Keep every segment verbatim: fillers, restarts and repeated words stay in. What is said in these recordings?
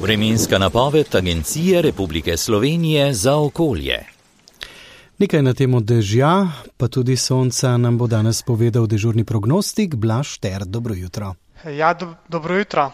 Vremenska napoved Agencije Republike Slovenije za okolje. Nekaj na temo dežja, pa tudi sonca nam bo danes povedal dežurni prognostik Blaž Šter. Dobro jutro. Ja, do, dobro jutro.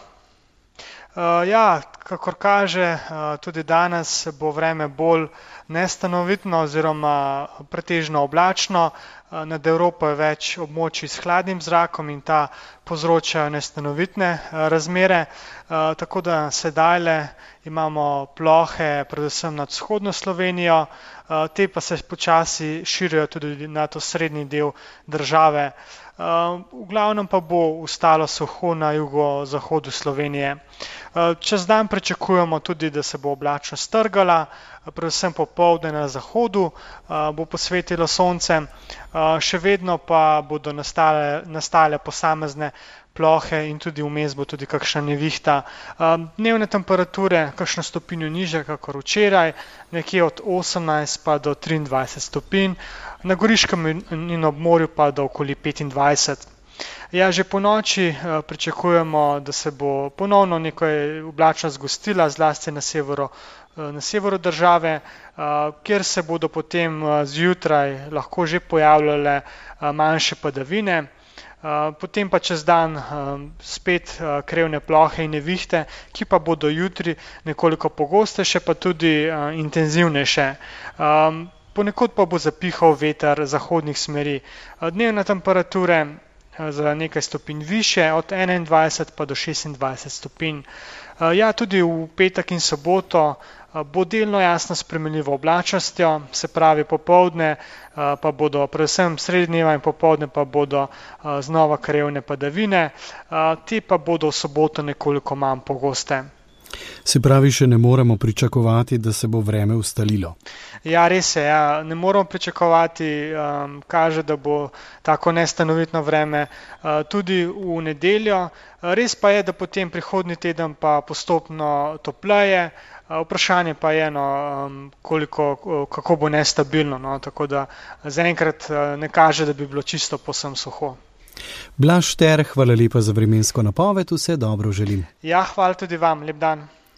Uh, ja, kakor kaže, uh, tudi danes bo vreme bolj nestanovitno oziroma pretežno oblačno. Uh, nad Evropo je več območij s hladnim zrakom in ta povzročajo nestanovitne uh, razmere. Uh, tako da sedajle imamo plohe predvsem nad vzhodno Slovenijo, uh, te pa se počasi širijo tudi nad osrednji del države. Uh, v glavnem pa bo ostalo suho na jugozahodu Slovenije. Uh, čez dan pričakujemo tudi, da se bo oblačno strgala, predvsem popoldne na zahodu uh, bo posvetilo sonce, uh, še vedno pa bodo nastale, nastale posamezne plohe in tudi vmes bo tudi kakšna nevihta. Uh, dnevne temperature kakšno stopinjo nižje kakor včeraj, nekje od osemnajst pa do triindvajset stopinj, na Goriškem in ob morju pa do okoli petindvajset. Ja, že po noči uh, pričakujemo, da se bo ponovno nekaj oblačno zgostila, zlasti na severu, uh, na severu države, uh, kjer se bodo potem uh, zjutraj lahko že pojavljale uh, manjše padavine. Uh, potem pa čez dan uh, spet uh, krevne plohe in nevihte, ki pa bodo jutri nekoliko pogostejše, pa tudi uh, intenzivnejše. Um, ponekod pa bo zapihal veter zahodnih smeri. Uh, dnevne temperature uh, za nekaj stopinj više, od enaindvajset pa do šestindvajset stopinj. Uh, ja, tudi v petek in soboto bo delno jasno spremenljivo oblačnostjo, se pravi popoldne pa bodo, predvsem sredi dneva in popoldne pa bodo znova krevne padavine, te pa bodo v soboto nekoliko manj pogoste. Se pravi, še ne moremo pričakovati, da se bo vreme ustalilo? Ja, res je, ja. Ne moramo pričakovati, um, kaže, da bo tako nestanovitno vreme uh, tudi v nedeljo. Res pa je, da potem prihodnji teden pa postopno topleje. Vprašanje pa je, no, koliko, kako bo nestabilno, no, tako da zaenkrat ne kaže, da bi bilo čisto povsem suho. Blaž Šter, hvala lepa za vremensko napoved, vse dobro želim. Ja, hvala tudi vam, lep dan.